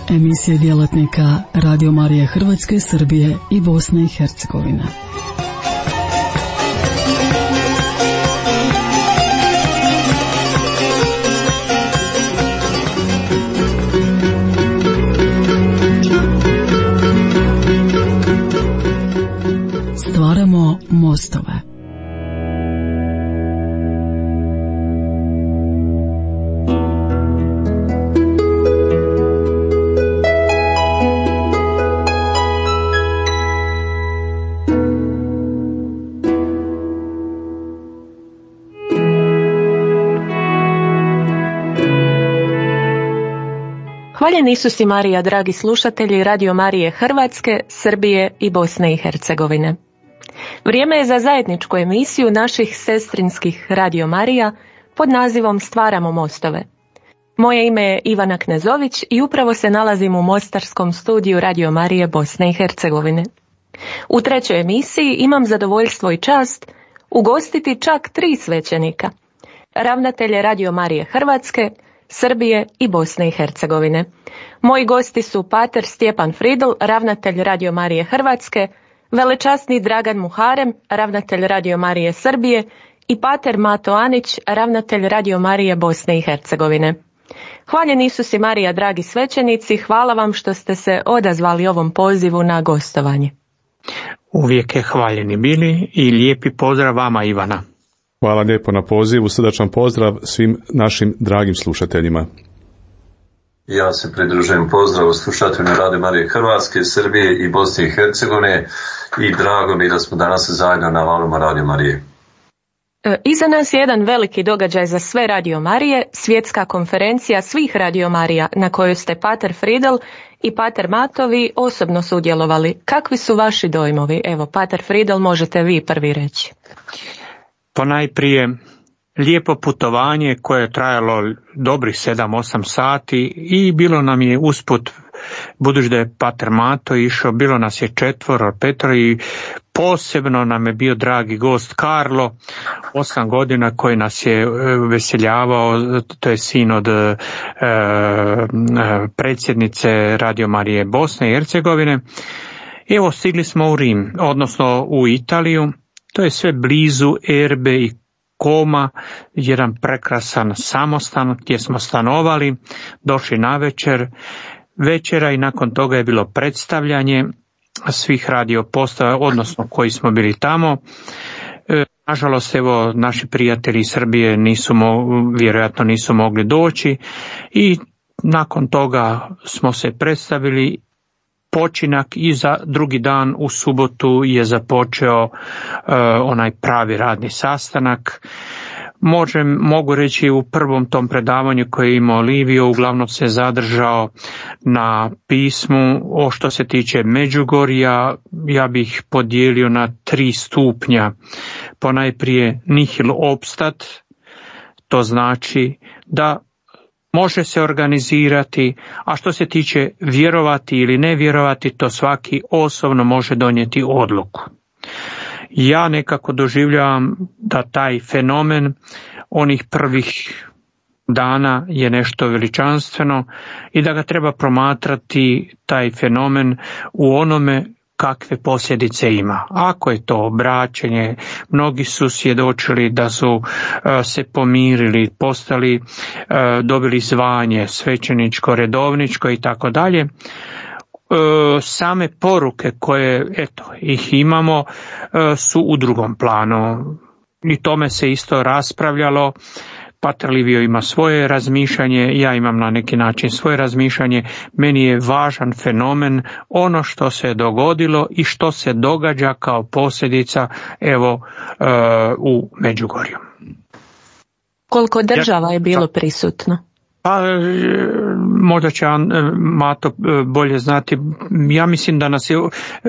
Emisije djelatnika Radio Marije Hrvatske, Srbije i Bosne i Hercegovine. Stvaramo mostove. Hvaljen Isus i Marija, dragi slušatelji Radio Marije Hrvatske, Srbije i Bosne i Hercegovine. Vrijeme je za zajedničku emisiju naših sestrinskih Radio Marija pod nazivom Stvaramo mostove. Moje ime je Ivana Knezović i upravo se nalazim u mostarskom studiju Radio Marije Bosne i Hercegovine. U trećoj emisiji imam zadovoljstvo i čast ugostiti čak 3 svećenika, ravnatelje Radio Marije Hrvatske, Srbije i Bosne i Hercegovine. Moji gosti su pater Stjepan Fridl, ravnatelj Radio Marije Hrvatske, velečasni Dragan Muharem, ravnatelj Radio Marije Srbije i pater Mato Anić, ravnatelj Radio Marije Bosne i Hercegovine. Hvaljen Isus i Marija, dragi svećenici, hvala vam što ste se odazvali ovom pozivu na gostovanje. Uvijek je hvaljeni bili i lijepi pozdrav vama, Ivana. Hvala lijepo na pozivu, srdačan pozdrav svim našim dragim slušateljima. Ja se pridružujem pozdravu slušateljima Radio Marije Hrvatske, Srbije i Bosne i Hercegovine i drago mi da smo danas zajedno na valuma Radio Marije. Iza nas je jedan veliki događaj za sve Radio Marije, svjetska konferencija svih Radio Marija na kojoj ste pater Fridl i pater Matovi osobno sudjelovali. Kakvi su vaši dojmovi? Evo, pater Fridl, možete vi prvi reći. Ponajprije lijepo putovanje koje je trajalo dobrih 7-8 sati i bilo nam je usput, budući da je pater Mato išao, bilo nas je 4 i posebno nam je bio dragi gost Karlo, 8 godina, koji nas je veseljavao, to je sin od predsjednice Radio Marije Bosne i Hercegovine. Evo, stigli smo u Rim, odnosno u Italiju. To je sve blizu Erbe i Koma, jedan prekrasan samostan gdje smo stanovali, došli na večera i nakon toga je bilo predstavljanje svih radio postaja, odnosno koji smo bili tamo. Nažalost, evo, naši prijatelji iz Srbije vjerojatno nisu mogli doći i nakon toga smo se predstavili. Počinak i za drugi dan u subotu je započeo onaj pravi radni sastanak. Mogu reći u prvom tom predavanju koje je imao Livio, uglavnom se zadržao na pismu. O što se tiče Međugorja, ja bih podijelio na 3 stupnja. Ponajprije nihil obstat, to znači da može se organizirati, a što se tiče vjerovati ili ne vjerovati, to svaki osobno može donijeti odluku. Ja nekako doživljavam da taj fenomen onih prvih dana je nešto veličanstveno i da ga treba promatrati taj fenomen u onome kakve posljedice ima. Ako je to obraćanje, mnogi su svjedočili da su se pomirili, dobili zvanje svećeničko, redovničko i tako dalje. Same poruke koje ih imamo su u drugom planu. I tome se isto raspravljalo. Pater Livio ima svoje razmišljanje, ja imam na neki način svoje razmišljanje. Meni je važan fenomen ono što se dogodilo i što se događa kao posljedica u Međugorju. Koliko država je bilo prisutno? Pa, možda će Mato bolje znati. Ja mislim da nas je,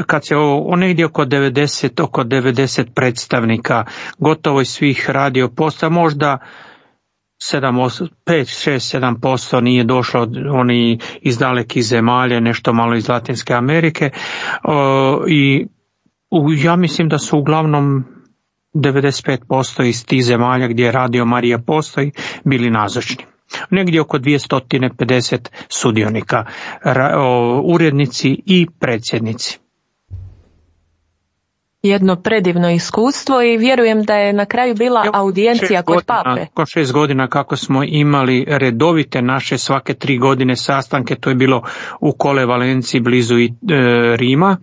kad se negdje oko 90 predstavnika, gotovo iz svih radio postaja, možda 5-6-7% nije došlo oni iz dalekih zemalja, nešto malo iz Latinske Amerike, i ja mislim da su uglavnom 95% iz tih zemalja gdje Radio Marija postoji bili nazočni. negdje oko 250 sudionika, urednici i predsjednici. Jedno predivno iskustvo i vjerujem da je na kraju bila audijencija kod pape. Oko 6 godina kako smo imali redovite naše svake 3 godine sastanke, to je bilo u Kole Valenciji blizu Rima.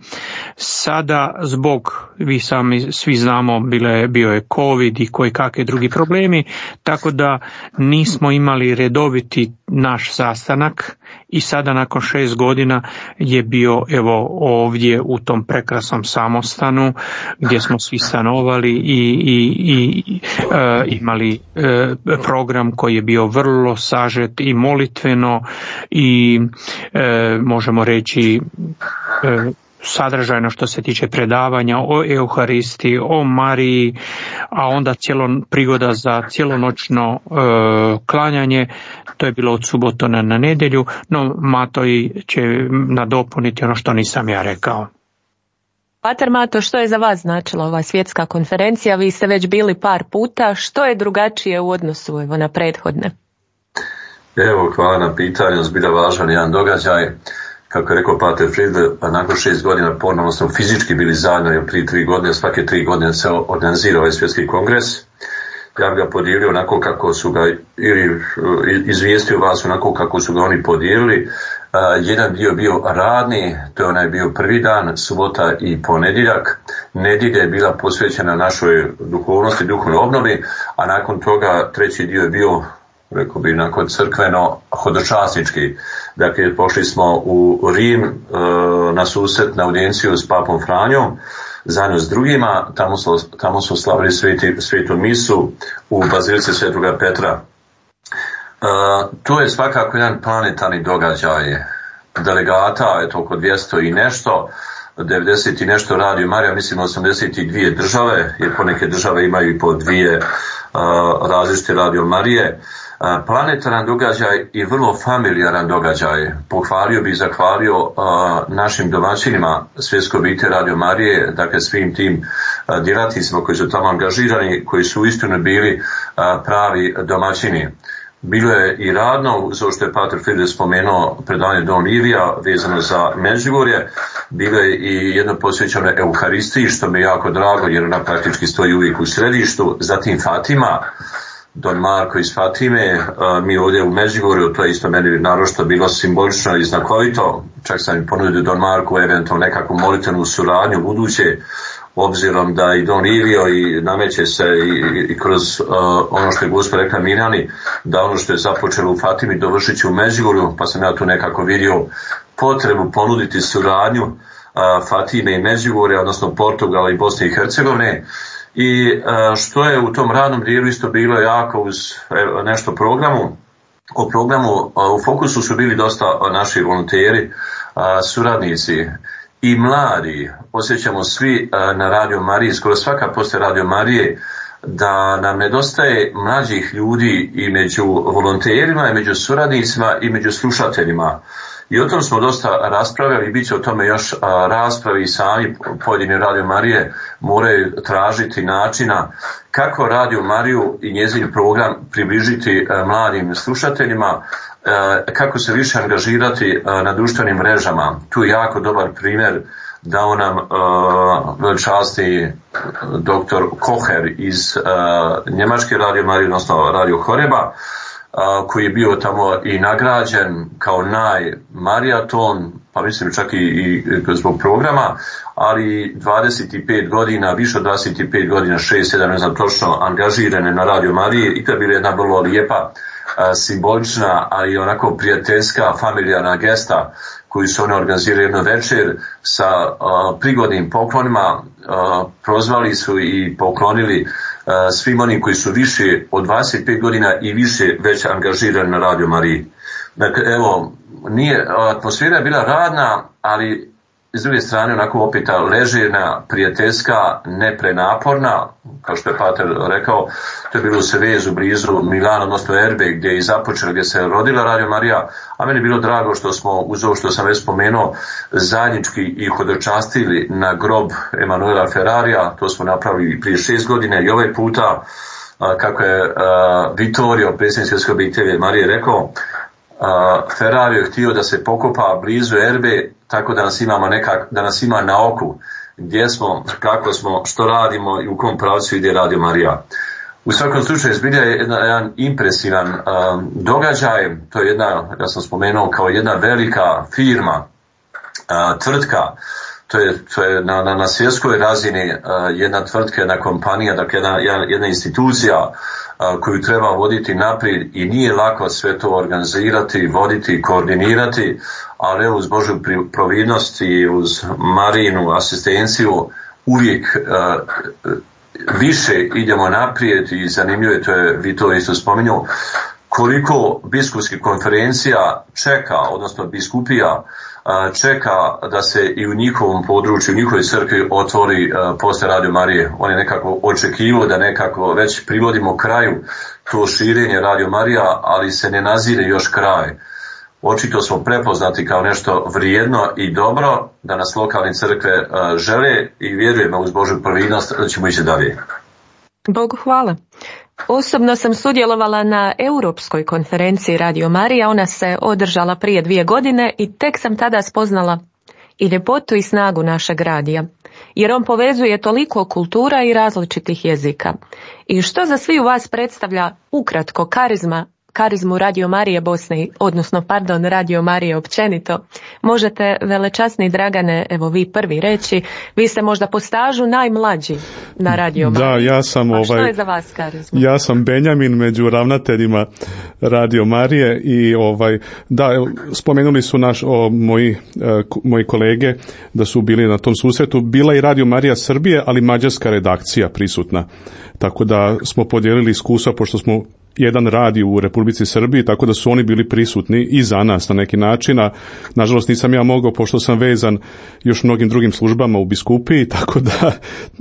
Sada zbog, vi sami svi znamo, bio je COVID i koji kakvi drugi problemi, tako da nismo imali redoviti naš sastanak i sada nakon 6 godina je bio evo ovdje u tom prekrasnom samostanu gdje smo svi stanovali i imali program koji je bio vrlo sažet i molitveno i možemo reći sadržajno što se tiče predavanja o Euharistiji, o Mariji, a onda prigoda za cijelonoćno klanjanje. To je bilo od subota na nedjelju, no Matoj će nadopuniti ono što nisam ja rekao. Pater Mato, što je za vas značila ova svjetska konferencija? Vi ste već bili par puta. Što je drugačije u odnosu na prethodne? Evo, hvala na pitanju. Zbilja važan jedan događaj. Kako je rekao Pater Friedl, nakon 6 godina ponovno smo fizički bili zajedno, jer prije 3 godine, svake 3 godine se organizira ovaj svjetski kongres. Ja bih ga podijelio onako kako su ga, ili izvijestio vas onako kako su ga oni podijelili. Jedan dio bio radni, to je onaj bio prvi dan, subota i ponedjeljak. Nedjelja je bila posvećena našoj duhovnosti, duhovnoj obnovi, a nakon toga treći dio je bio, rekao bi, nakon crkveno hodočasnički. Dakle, pošli smo u Rim na susret, na audijenciju s papom Franjom, zajedno s drugima. Tamo su slavili svetu misu u bazilici Svetoga Petra. To je svakako jedan planetarni događaj. Delegata, eto oko 200 i nešto, 90 i nešto Radio Marija, mislim 82 države, jer poneke države imaju i po 2 različite Radio Marije. Planetaran događaj i vrlo familijaran događaj. Pohvalio bih i zahvalio našim domaćinima Svjetske obitelji Radio Marije, dakle svim tim djelatnicima koji su tamo angažirani, koji su uistinu bili pravi domaćini. Bilo je i radno, zato što je Pater Friedl spomenuo predavanje Don Livija vezano za Međugorje. Bilo je i jedno posvećeno Euharistiji, što mi je jako drago, jer ona praktički stoji uvijek u središtu. Zatim Fatima, Don Marko iz Fatime, mi ovdje u Međugorju, to je isto meni naročito bilo simbolično i znakovito. Čak sam im ponudio Don Marku eventualno nekakvu molitvenu suradnju buduće, obzirom da i Don Livio i nameće se i kroz ono što je Gospod rekla Mirjani, da ono što je započelo u Fatimi dovršit će u Međugorju, pa sam ja tu nekako vidio potrebu ponuditi suradnju Fatime i Međugorja, odnosno Portugala i Bosne i Hercegovine. I što je u tom radnom dijelu isto bilo jako uz nešto programu. O programu u fokusu su bili dosta naši volonteri, suradnici i mladi. Osjećamo svi na Radio Mariji, skoro svaka poslije Radio Marije, da nam nedostaje mlađih ljudi i među volonterima, i među suradnicima, i među slušateljima. I o tom smo dosta raspravljali i bit će o tome još raspravi i sami pojedini Radio Marije moraju tražiti načina kako Radio Mariju i njezin program približiti mladim slušateljima, kako se više angažirati na društvenim mrežama. Tu je jako dobar primjer dao nam časni doktor Koher iz njemačke Radio Marije, odnosno Radio Horeba, koji je bio tamo i nagrađen kao najmarijaton, pa mislim čak i zbog programa, ali 25 godina, više od 25 godina, 6-7, ne znam točno, angažirane na Radio Mariji, i to je bila jedna vrlo lijepa, simbolična, ali i onako prijateljska, familijarna gesta koju su oni organizirali jedno večer sa prigodnim poklonima. Prozvali su i poklonili svim onim koji su više od 25 godina i više već angažirani na Radio Mariji. Dakle, evo, atmosfera je bila radna, ali s druge strane onako opet ležerna, prijateljska, neprenaporna, kao što je Pater rekao. To je bilo u Sevezu, blizu Milana, odnosno Erbe, gdje je započela, gdje se rodila Radio Marija, a meni je bilo drago što smo, uz ovo što sam već spomenuo, zajednički i hodočastili na grob Emanuela Ferrarija. To smo napravili prije 6 godina i ovaj puta kako je Vittorio, predsjednik svjetske obitelji Marije, rekao, Ferrario je htio da se pokopa blizu Erbe, tako da nas ima na oku, gdje smo, kako smo, što radimo i u kom pravcu ide Radio Marija. U svakom slučaju zbilja je jedan impresivan događaj, to je jedna, ja sam spomenuo, kao jedna velika firma, tvrtka, to je na svjetskoj razini jedna tvrtka, jedna kompanija, dakle jedna institucija koju treba voditi naprijed i nije lako sve to organizirati, voditi, koordinirati, ali uz Božju providnost i uz Marijinu asistenciju uvijek više idemo naprijed i zanimljivo je, to je vi to isto spominjao, koliko biskupskih konferencija čeka, odnosno biskupija čeka da se i u njihovom području, u njihovoj crkvi otvori postaja Radio Marije. On je nekako očekivao da nekako već privodimo kraju to širenje Radio Marija, ali se ne nazire još kraj. Očito smo prepoznati kao nešto vrijedno i dobro, da nas lokalne crkve žele i vjerujemo uz Božju providnost da ćemo ići dalje. Bogu hvala. Osobno sam sudjelovala na Europskoj konferenciji Radio Marija, ona se održala prije 2 godine i tek sam tada spoznala i ljepotu i snagu našeg radija, jer on povezuje toliko kultura i različitih jezika. I što za svi u vas predstavlja ukratko karizmu Radio Marije Bosne, Radio Marije općenito, možete, velečasni Dragane, evo vi prvi reći, vi ste možda po stažu najmlađi na Radio Marije. Da, ja sam što je za vas karizma? Ja sam Benjamin među ravnateljima Radio Marije i spomenuli su moji kolege da su bili na tom susretu. Bila i Radio Marija Srbije, ali mađarska redakcija prisutna. Tako da smo podijelili iskustva, pošto smo jedan radio u Republici Srbiji, tako da su oni bili prisutni i za nas na neki način, a nažalost nisam ja mogao, pošto sam vezan još mnogim drugim službama u biskupiji, tako da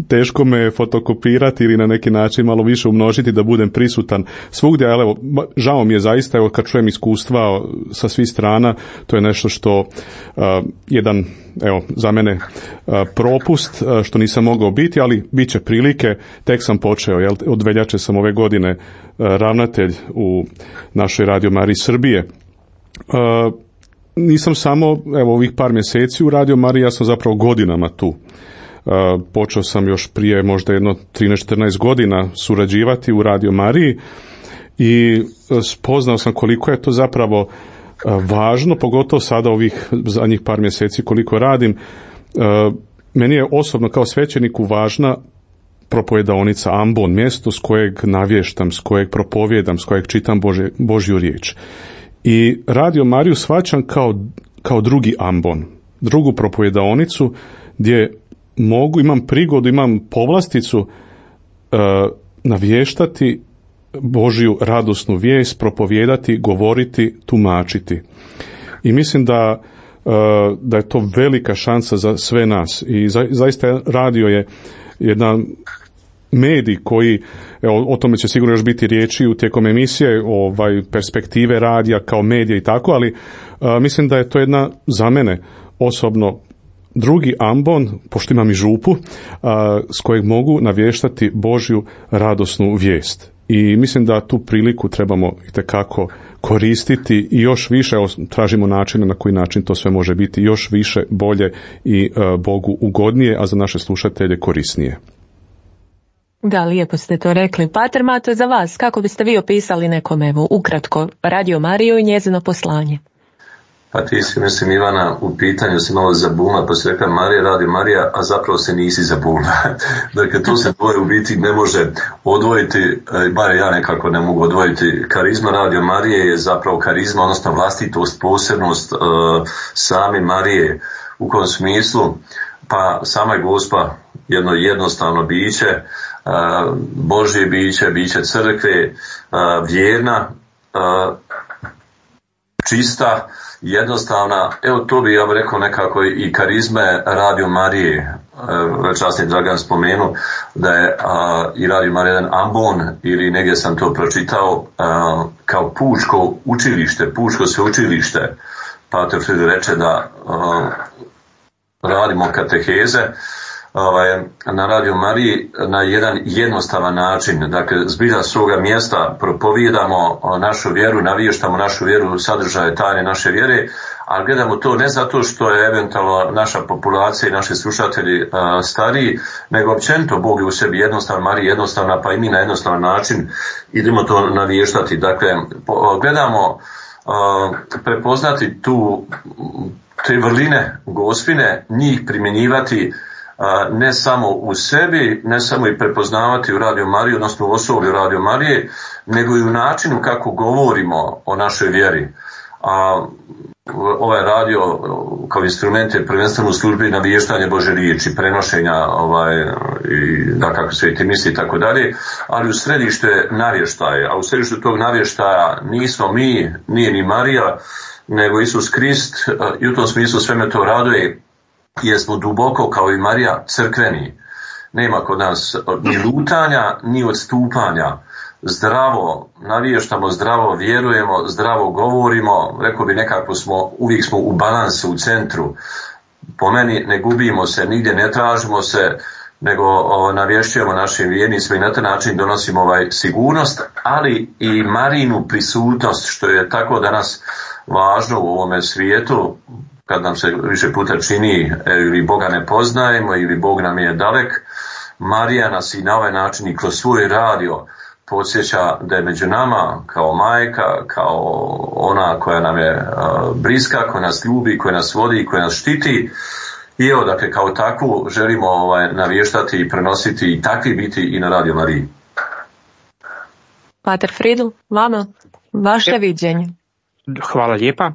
teško me fotokopirati ili na neki način malo više umnožiti da budem prisutan svugdje, ali evo, žao mi je zaista, evo, kad čujem iskustva sa svih strana, to je nešto što jedan, evo, za mene propust, što nisam mogao biti, ali bit će prilike, tek sam počeo, od veljače sam ove godine ravnatelj u našoj Radio Mariji Srbije. Nisam samo, evo, ovih par mjeseci u Radio Mariji, ja sam zapravo godinama tu. Počeo sam još prije možda 13-14 godina surađivati u Radio Mariji i spoznao sam koliko je to zapravo važno, pogotovo sada ovih zadnjih par mjeseci koliko radim. Meni je osobno kao svećeniku važna propovedaonica Ambon, mjesto s kojeg navještam, s kojeg propovjedam, s kojeg čitam Božju riječ. I Radio Mariju shvaćam kao drugi Ambon, drugu propovedaonicu gdje imam prigodu, imam povlasticu navještati Božju radosnu vijest, propovijedati, govoriti, tumačiti. I mislim da je to velika šansa za sve nas. I zaista radio je jedan medij koji, evo, o tome će sigurno još biti riječi u tijekom emisije, perspektive radija kao medija i tako, ali mislim da je to jedna, za mene osobno, drugi Ambon, pošto imam i župu, s kojeg mogu navještati Božju radosnu vijest. I mislim da tu priliku trebamo itekako koristiti i još više, tražimo načine na koji način to sve može biti još više, bolje i Bogu ugodnije, a za naše slušatelje korisnije. Da, lijepo ste to rekli. Pater Mato, za vas, kako biste vi opisali nekom, evo, ukratko, Radio Mariju i njezino poslanje? Pa ti si, mislim, Ivana, u pitanju si malo zabunila, pa si rekla Marija, Radio Marija, a zapravo se nisi zabunila. Dakle, to se dvoje u biti ne može odvojiti, bar ja nekako ne mogu odvojiti. Karizma Radio Marije je zapravo karizma, odnosno vlastitost, posebnost same Marije. U kom smislu? Pa sama je Gospa jedno jednostavno biće, Božje biće crkve, vjerna, čista, jednostavna. Evo, to bi ja bih rekao nekako i karizme Radio Marije. Časni Dragan spomenu da je i Radio Marija jedan ambon, ili negdje sam to pročitao, kao pučko učilište, pučko sveučilište. Pater Friedl reče da radimo kateheze, na Radio Mariji na jedan jednostavan način. Dakle, zbilja svoga mjesta propovijedamo našu vjeru, navještamo našu vjeru, sadržaje tajne naše vjere, ali gledamo to ne zato što je eventualno naša populacija i naši slušatelji stariji, nego općenito Bog je u sebi jednostavan, Marija jednostavna, pa i mi na jednostavan način idemo to navještati. Dakle, gledamo prepoznati te vrline Gospine, njih primjenjivati ne samo u sebi, ne samo i prepoznavati u Radio Mariji, odnosno u osoblju Radio Marije, nego i u načinu kako govorimo o našoj vjeri. Ovaj radio kao instrument je prvenstveno u službi navještanja Bože riječi, prenošenja i dakako sveti misli i tako dalje, ali u središtu je navještaj, a u središtu tog navještaja nismo mi, nije ni Marija, nego Isus Krist, i u tom smislu sve me to raduje, jer smo duboko kao i Marija crkveni. Nema kod nas ni lutanja, ni odstupanja. Zdravo navještamo, zdravo vjerujemo, zdravo govorimo, rekao bi nekako uvijek smo u balansu, u centru. Po meni ne gubimo se, nigdje ne tražimo se, nego navješćujemo našim vjernicima i na taj način donosimo sigurnost, ali i Marijinu prisutnost, što je tako danas važno u ovome svijetu, kad nam se više puta čini ili Boga ne poznajemo ili Bog nam je dalek. Marija nas i na ovaj način i kroz svoj radio podsjeća da je među nama kao majka, kao ona koja nam je bliska, koja nas ljubi, koja nas vodi, koja nas štiti. I evo, dakle, kao takvu želimo navještati i prenositi i takvi biti i na Radio Mariji. Pater Friedl, vama, vaše viđenje. Hvala lijepa.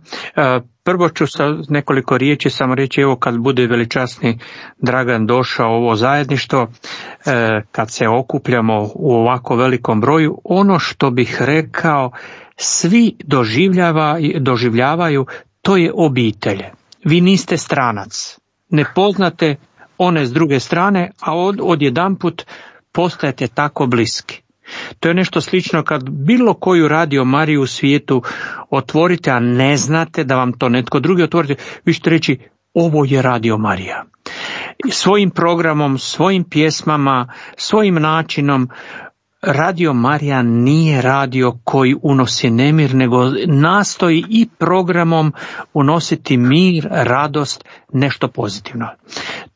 Prvo ću sa nekoliko riječi samo reći, evo kad bude veličasni Dragan došao u ovo zajedništvo, kad se okupljamo u ovako velikom broju, ono što bih rekao, svi doživljavaju, to je obitelj. Vi niste stranac, ne poznate one s druge strane, a odjedanput postajete tako bliski. To je nešto slično kad bilo koju Radio Mariju u svijetu otvorite, a ne znate da vam to netko drugi otvorite, vi ćete reći ovo je Radio Marija. Svojim programom, svojim pjesmama, svojim načinom, Radio Marija nije radio koji unosi nemir, nego nastoji i programom unositi mir, radost, nešto pozitivno.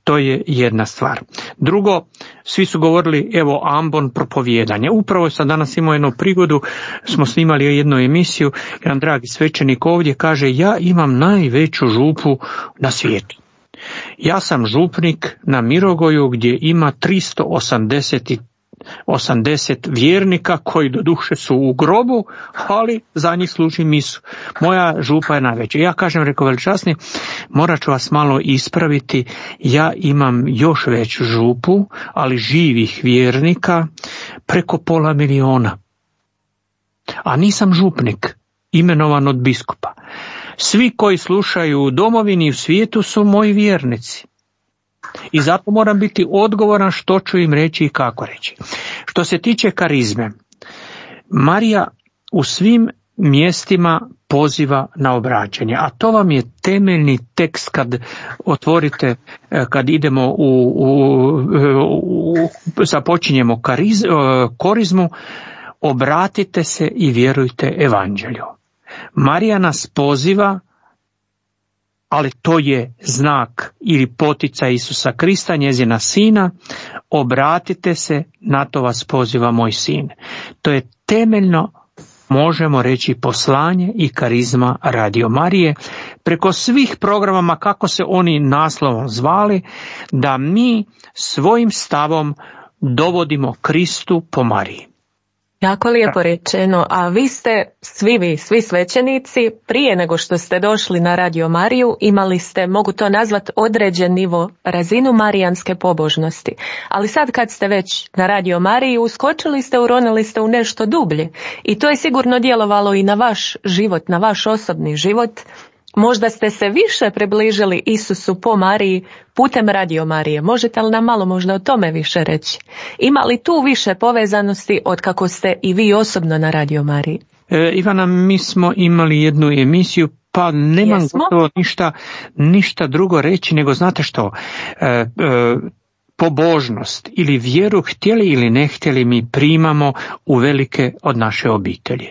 To je jedna stvar. Drugo, svi su govorili, evo, ambon propovijedanje. Upravo sam danas imao jednu prigodu, smo snimali jednu emisiju, jedan dragi svećenik ovdje kaže, ja imam najveću župu na svijetu. Ja sam župnik na Mirogoju gdje ima 380 vjernika koji doduše su u grobu, ali za njih služi misu. Moja župa je najveća. Ja kažem, rekao veličasni, morat ću vas malo ispraviti, ja imam još veću župu, ali živih vjernika preko 500 000. A nisam župnik, imenovan od biskupa. Svi koji slušaju u domovini i u svijetu su moji vjernici. I zato moram biti odgovoran što ću im reći i kako reći. Što se tiče karizme, Marija u svim mjestima poziva na obraćanje, a to vam je temeljni tekst kad otvorite, kad idemo započinjemo korizmu, obratite se i vjerujte evanđelju. Marija nas poziva, ali to je znak ili poticaj Isusa Krista, njezina sina, obratite se, na to vas poziva moj sin. To je temeljno, možemo reći, poslanje i karizma Radio Marije, preko svih programa, kako se oni naslovom zvali, da mi svojim stavom dovodimo Kristu po Mariji. Jako lijepo rečeno, a vi ste, svi svećenici, prije nego što ste došli na Radio Mariju, imali ste, mogu to nazvati, određen nivo, razinu marijanske pobožnosti. Ali sad kad ste već na Radio Mariji, uskočili ste, uronili ste u nešto dublje. I to je sigurno djelovalo i na vaš život, na vaš osobni život. Možda ste se više približili Isusu po Mariji putem Radio Marije. Možete li nam malo možda o tome više reći? Ima li tu više povezanosti od kako ste i vi osobno na Radio Mariji? Ivana, mi smo imali jednu emisiju, pa nemam gotovo ništa drugo reći, nego znate što, pobožnost ili vjeru, htjeli ili ne htjeli, mi primamo u velike od naše obitelji.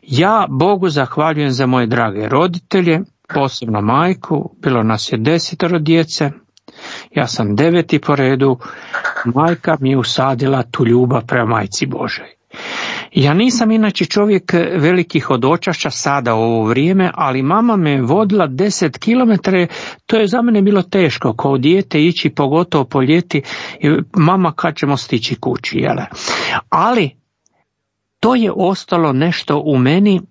Ja Bogu zahvaljujem za moje drage roditelje, posebno majku, bilo nas je 10 djece, ja sam 9. po redu, majka mi je usadila tu ljubav prema majci Božoj. Ja nisam inače čovjek velikih hodočašća sada u ovo vrijeme, ali mama me vodila 10 km, to je za mene bilo teško, kao dijete ići, pogotovo po ljeti, mama kad ćemo stići kući, jele? Ali to je ostalo nešto u meni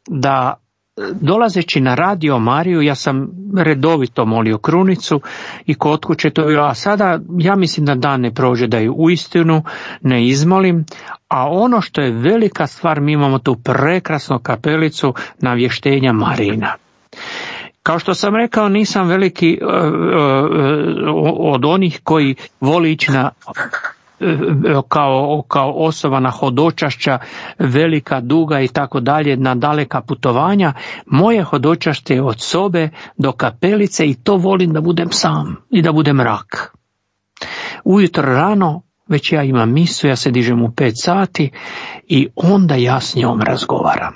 da dolazeći na Radio Mariju, ja sam redovito molio krunicu i kod kuće to bilo, a sada ja mislim da dan ne prođe da ju uistinu ne izmolim, a ono što je velika stvar, mi imamo tu prekrasnu kapelicu Navještenja Marina. Kao što sam rekao, nisam veliki od onih koji voli ići na kao osoba na hodočašća, velika, duga i tako dalje, na daleka putovanja. Moje hodočašće je od sobe do kapelice i to volim da budem sam i da budem mrak. Ujutro rano, već ja imam misu, ja se dižem u 5 sati i onda ja s njom razgovaram.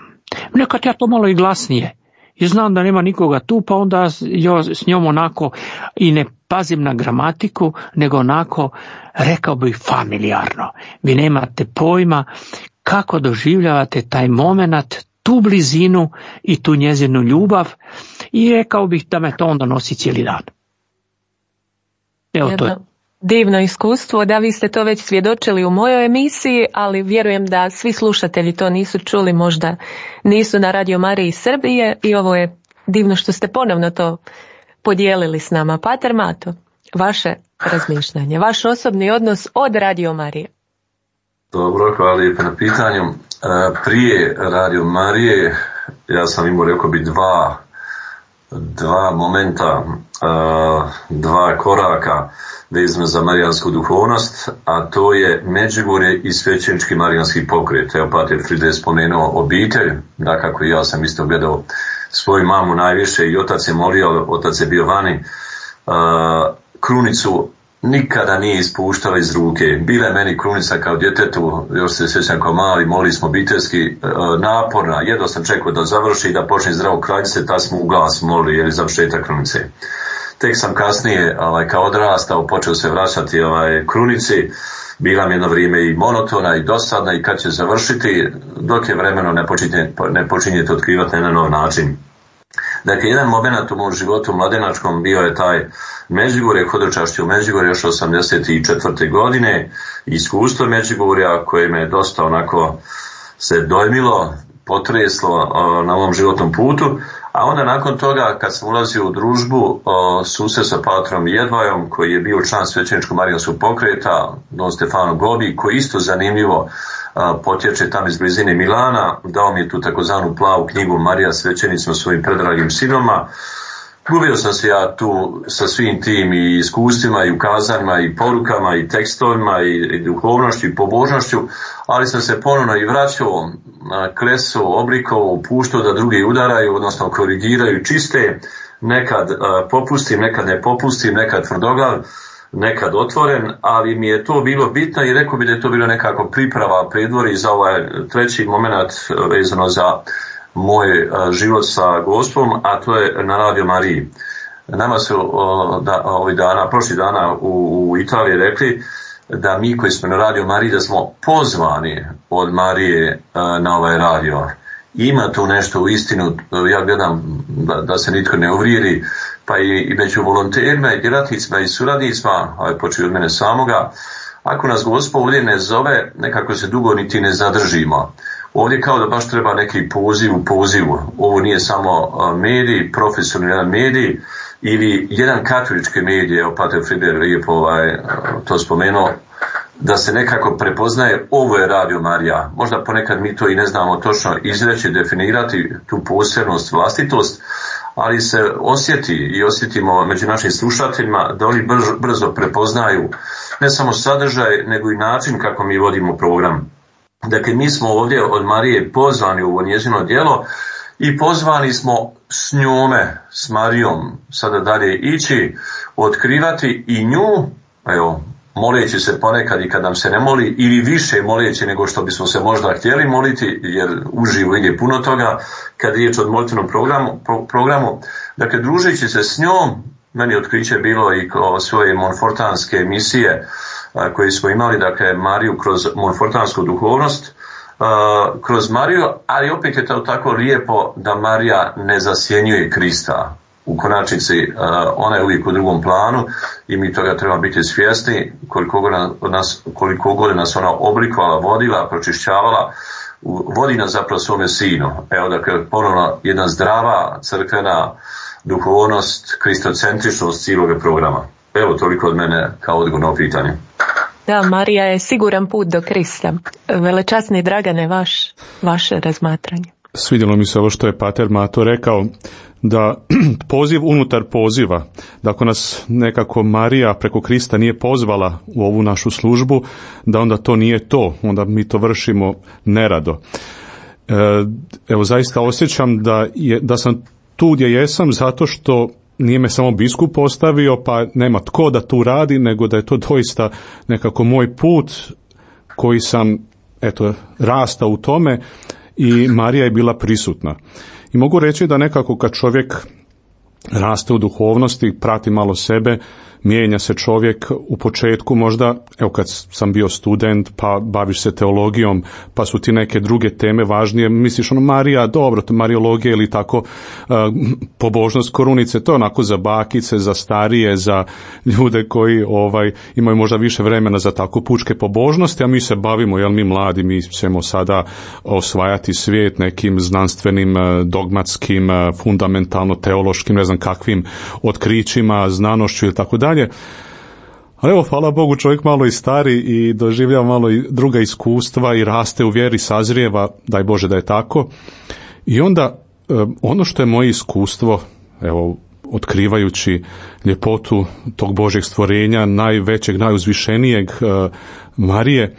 Nekad ja to malo i glasnije. I znam da nema nikoga tu, pa onda ja s njom onako i ne pazim na gramatiku, nego onako, rekao bih, familijarno. Vi nemate pojma kako doživljavate taj moment, tu blizinu i tu njezinu ljubav, i rekao bih da me to onda nosi cijeli dan. Evo to je. Divno iskustvo, da vi ste to već svjedočili u mojoj emisiji, ali vjerujem da svi slušatelji to nisu čuli, možda nisu na Radio Mariji Srbije, i ovo je divno što ste ponovno to podijelili s nama. Pater Mato, vaše razmišljanje, vaš osobni odnos od Radio Marije. Dobro, hvala lijepo na pitanju. Prije Radio Marije ja sam imao, rekao bi, dva momenta, dva koraka vezano za marijansku duhovnost, a to je Međugorje i svećenički marijanski pokret. Evo, pater Fride je spomenuo obitelj, dakako i ja sam isto gledao svoju mamu najviše i otac je molio, otac je bio vani, krunicu nikada nije ispuštala iz ruke. Bila je meni krunica kao djetetu, još se sjećam kao mali, molili smo obiteljski, naporna, jedno sam čekao da završi i da počne zdravo kraljice, tad smo u glas molili, jer je završetak krunice. Tek sam kasnije, kao odrastao, počeo se vraćati krunici, bila mi jedno vrijeme i monotona i dosadna, i kad će završiti, dok je vremeno ne počinjete otkrivati na nov način. Dakle, jedan moment u mom životu mladenačkom bio je taj Međugorje, hodočašće u Međugorje još 1984. godine, iskustvo Međugorja koje me dosta onako se dojmilo, potreslo na ovom životnom putu, a onda nakon toga kad sam ulazio u družbu susret sa patrom Jedvajom, koji je bio član svećeničkog marijanskog pokreta, Don Stefano Gobi, koji isto zanimljivo potječe tam iz blizine Milana, dao mi je tu takozvanu plavu knjigu Marija svećenicima svojim predragim sinovima. Gubio sam se ja tu sa svim tim i iskustvima i ukazanjima i porukama i tekstovima i duhovnošću i pobožnošću, ali sam se ponovno i vraćao, klesao, oblikovao, puštao da drugi udaraju, odnosno korigiraju, čiste, nekad popustim, nekad ne popustim, nekad tvrdoglav, nekad otvoren, ali mi je to bilo bitno i rekao bi da je to bilo nekako priprava, predvori za ovaj treći moment vezano za moj život sa Gospom, a to je na Radio Mariji. Nama su prošli dana u Italiji rekli da mi koji smo na Radio Mariji, da smo pozvani od Marije na ovaj radio. Ima tu nešto u istinu, ja gledam da se nitko ne uvrijedi, pa i među volonterima i djelatnicima i suradnicima, a je počeo od mene samoga, ako nas Gospod ovdje ne zove, nekako se dugo niti ne zadržimo. Ovdje kao da baš treba neki poziv u pozivu. Ovo nije samo medij, profesionalan medij ili jedan katolički medij, evo pater Frider lijepo to spomenuo, da se nekako prepoznaje ovo je Radio Marija. Možda ponekad mi to i ne znamo točno izreći, definirati tu posebnost, vlastitost, ali se osjeti i osjetimo među našim slušateljima da oni brzo prepoznaju ne samo sadržaj, nego i način kako mi vodimo program. Dakle, mi smo ovdje od Marije pozvani u ovo njezino djelo i pozvani smo s njome, s Marijom, sada dalje ići, otkrivati i nju evo, moleći se ponekad i kad nam se ne moli, ili više moleći nego što bismo se možda htjeli moliti, jer uživo ide puno toga, kad je riječ o molitvenom programu. Dakle, družeći se s njom, meni otkriće bilo i svoje monfortanske emisije koje smo imali, dakle, Mariju kroz monfortansku duhovnost, kroz Mariju, ali opet je to tako lijepo da Marija ne zasjenjuje Krista. U konačnici ona je uvijek u drugom planu i mi toga treba biti svjesni, koliko god nas ona oblikovala, vodila, pročišćavala, vodi nas zapravo svome sinu. Evo, dakle, ponovno jedna zdrava crkvena duhovnost, kristocentričnost cijelog programa. Evo, toliko od mene kao odgovor na pitanje. Da, Marija je siguran put do Krista. Velečasni Dragane, vaše razmatranje. Svidjelo mi se ovo što je pater Mato rekao, da poziv unutar poziva, da ako nas nekako Marija preko Krista nije pozvala u ovu našu službu, da onda to nije to, onda mi to vršimo nerado. Evo, zaista osjećam da sam tu gdje jesam zato što nije me samo biskup postavio, pa nema tko da tu radi, nego da je to doista nekako moj put koji sam, rastao u tome i Marija je bila prisutna. I mogu reći da nekako kad čovjek raste u duhovnosti, prati malo sebe, mijenja se čovjek u početku možda, evo kad sam bio student, pa baviš se teologijom, pa su ti neke druge teme važnije, misliš Marija, dobro, to mariologija ili tako, pobožnost korunice, to je onako za bakice, za starije, za ljude koji imaju možda više vremena za tako pučke pobožnosti, a mi se bavimo, mi mladi, mi ćemo sada osvajati svijet nekim znanstvenim, dogmatskim, fundamentalno teološkim, ne znam kakvim otkrićima, znanošću ili tako dalje. Ali evo, hvala Bogu, čovjek malo i stari i doživljava malo i druga iskustva i raste u vjeri, sazrijeva, daj Bože da je tako. I onda ono što je moje iskustvo, evo, otkrivajući ljepotu tog Božjeg stvorenja, najvećeg, najuzvišenijeg Marije,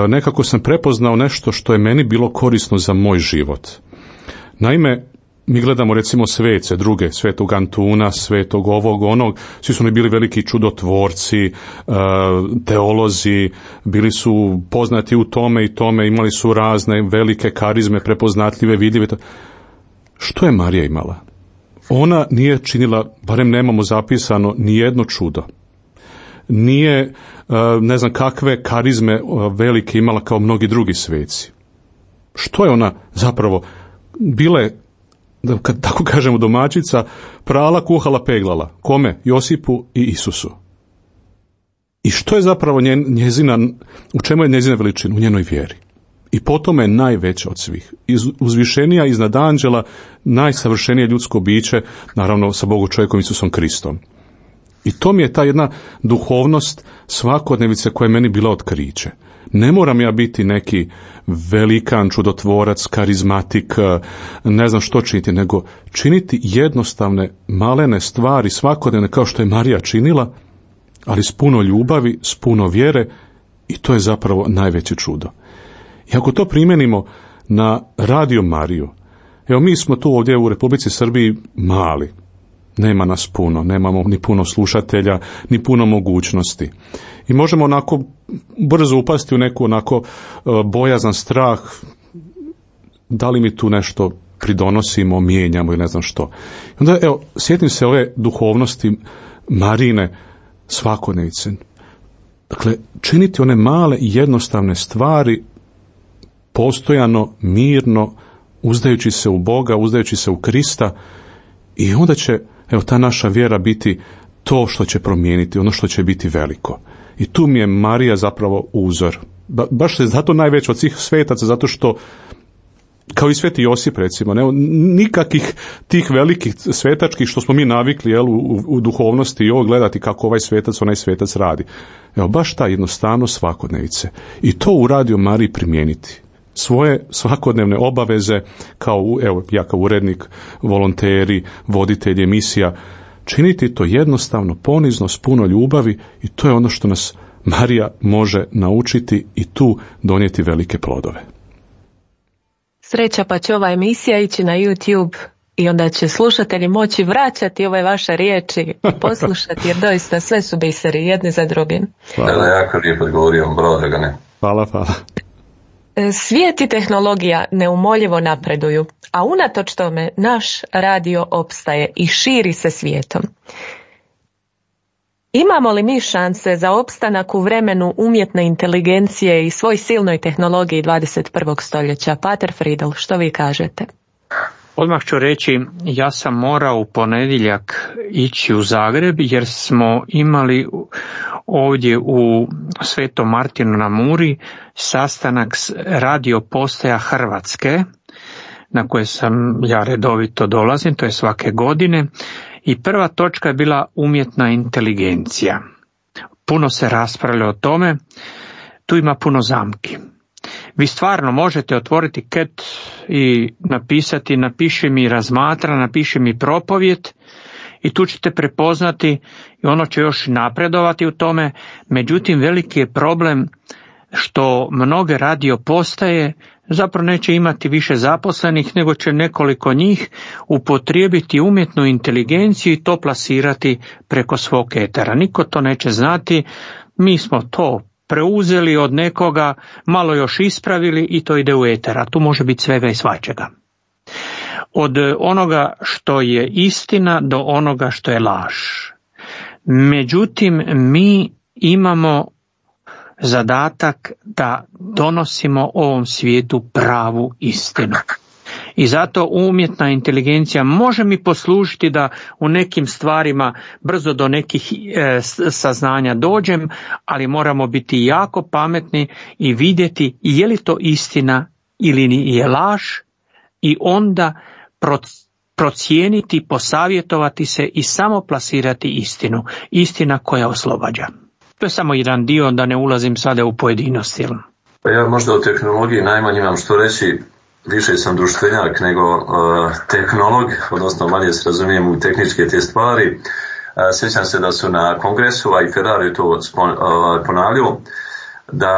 nekako sam prepoznao nešto što je meni bilo korisno za moj život. Naime, mi gledamo recimo svece druge, svetog Antuna, svetog ovog, onog, svi su oni bili veliki čudotvorci, teolozi, bili su poznati u tome i tome, imali su razne velike karizme, prepoznatljive, vidljive. Što je Marija imala? Ona nije činila, barem nemamo zapisano, ni jedno čudo. Nije, ne znam kakve karizme velike imala kao mnogi drugi sveci. Što je ona zapravo? Bila je, da kad tako kažemo, domaćica, prala, kuhala, peglala. Kome? Josipu i Isusu. I što je zapravo njezina, u čemu je njezina veličina? U njenoj vjeri. I po tome je najveća od svih. Uzvišenija iznad anđela, najsavršenije ljudsko biće, naravno sa Bogu čovjekom Isusom Kristom. I to mi je ta jedna duhovnost svakodnevice koja je meni bila otkriće. Ne moram ja biti neki velikan, čudotvorac, karizmatik, ne znam što činiti, nego činiti jednostavne, malene stvari svakodnevne kao što je Marija činila, ali s puno ljubavi, s puno vjere, i to je zapravo najveće čudo. I ako to primjenimo na Radio Mariju, evo mi smo tu ovdje u Republici Srbiji mali, nema nas puno, nemamo ni puno slušatelja, ni puno mogućnosti. I možemo onako brzo upasti u neku onako bojazan strah, da li mi tu nešto pridonosimo, mijenjamo i ne znam što. Onda evo, sjetim se ove duhovnosti Marine svakodnevice. Dakle, činiti one male i jednostavne stvari postojano, mirno, uzdajući se u Boga, uzdajući se u Krista, i onda će, evo, ta naša vjera biti to što će promijeniti, ono što će biti veliko. I tu mi je Marija zapravo uzor. Baš se zato najveća od svih svetaca, zato što, kao i sveti Josip recimo, nikakvih tih velikih svetačkih što smo mi navikli u duhovnosti i ovo gledati kako ovaj svetac, onaj svetac radi. Evo, baš ta jednostavnost svakodnevice. I to u Radio Mariji primijeniti. Svoje svakodnevne obaveze, ja kao urednik, volonteri, voditelji emisija, činiti to jednostavno, ponizno, s puno ljubavi, i to je ono što nas Marija može naučiti i tu donijeti velike plodove. Sreća pa će ova emisija ići na YouTube i onda će slušatelji moći vraćati ove vaše riječi, poslušati, jer doista sve su biseri jedni za drugim. Da, jako lijepo odgovorio, bravo Dragane. Hvala. Svijet i tehnologija neumoljivo napreduju, a unatoč tome naš radio opstaje i širi se svijetom. Imamo li mi šanse za opstanak u vremenu umjetne inteligencije i svoj silnoj tehnologiji 21. stoljeća? Pater Friedl, što vi kažete? Odmah ću reći, ja sam morao u ponedjeljak ići u Zagreb jer smo imali ovdje u Svetom Martinu na Muri sastanak s radio postaja Hrvatske, na koje sam ja redovito dolazim, to je svake godine, i prva točka je bila umjetna inteligencija. Puno se raspravlja o tome, tu ima puno zamki. Vi stvarno možete otvoriti ket i napiši mi razmatra, napiši mi propovijed i tu ćete prepoznati i ono će još napredovati u tome. Međutim, veliki je problem što mnoge radio postaje zapravo neće imati više zaposlenih, nego će nekoliko njih upotrijebiti umjetnu inteligenciju i to plasirati preko svog etera. Niko to neće znati, mi smo to preuzeli od nekoga, malo još ispravili i to ide u eter, a tu može biti svega i svačega. Od onoga što je istina do onoga što je laž. Međutim, mi imamo zadatak da donosimo ovom svijetu pravu istinu. I zato umjetna inteligencija može mi poslužiti da u nekim stvarima brzo do nekih saznanja dođem, ali moramo biti jako pametni i vidjeti je li to istina ili je laž i onda procijeniti, posavjetovati se i samo plasirati istinu. Istina koja oslobađa. To je samo jedan dio, da ne ulazim sada u pojedinosti. Pa ja možda o tehnologiji najmanje imam što reći, više sam društvenjak nego tehnolog, odnosno manje se razumijem u tehničke te stvari. Sjećam se da su na kongresu, a i Ferrari to ponavljao, da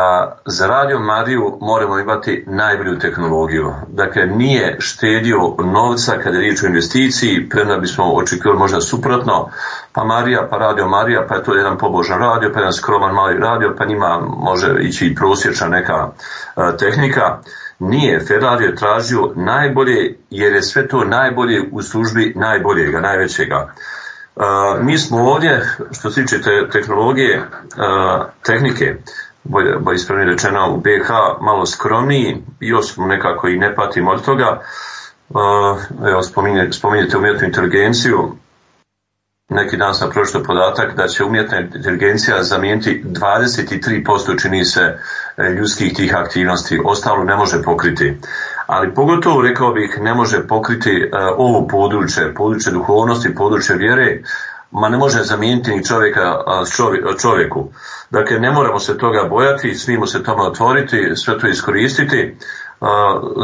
za Radio Mariju moramo imati najbolju tehnologiju. Dakle, nije štedio novca kada je riječ o investiciji, premda bismo očekivali možda suprotno, pa Marija, pa Radio Marija, pa je to jedan pobožan radio, pa jedan skroman mali radio, pa njima može ići i prosječna neka tehnika. Nije, Ferrari je tražio najbolje, jer je sve to najbolje u službi najboljega, najvećega. Mi smo ovdje, što se tiče tehnologije, tehnike, bolje ispravno rečeno, u BiH malo skromniji, još smo nekako i ne patimo od toga. Evo, spominjete umjetnu inteligenciju. Neki dan sam pročitao podatak da će umjetna inteligencija zamijeniti 23% čini se ljudskih tih aktivnosti, ostalo ne može pokriti. Ali pogotovo, rekao bih, ne može pokriti ovo područje duhovnosti, područje vjere, ma ne može zamijeniti ni čovjeka čovjeku. Dakle, ne moramo se toga bojati, smijemo se tome otvoriti, sve to iskoristiti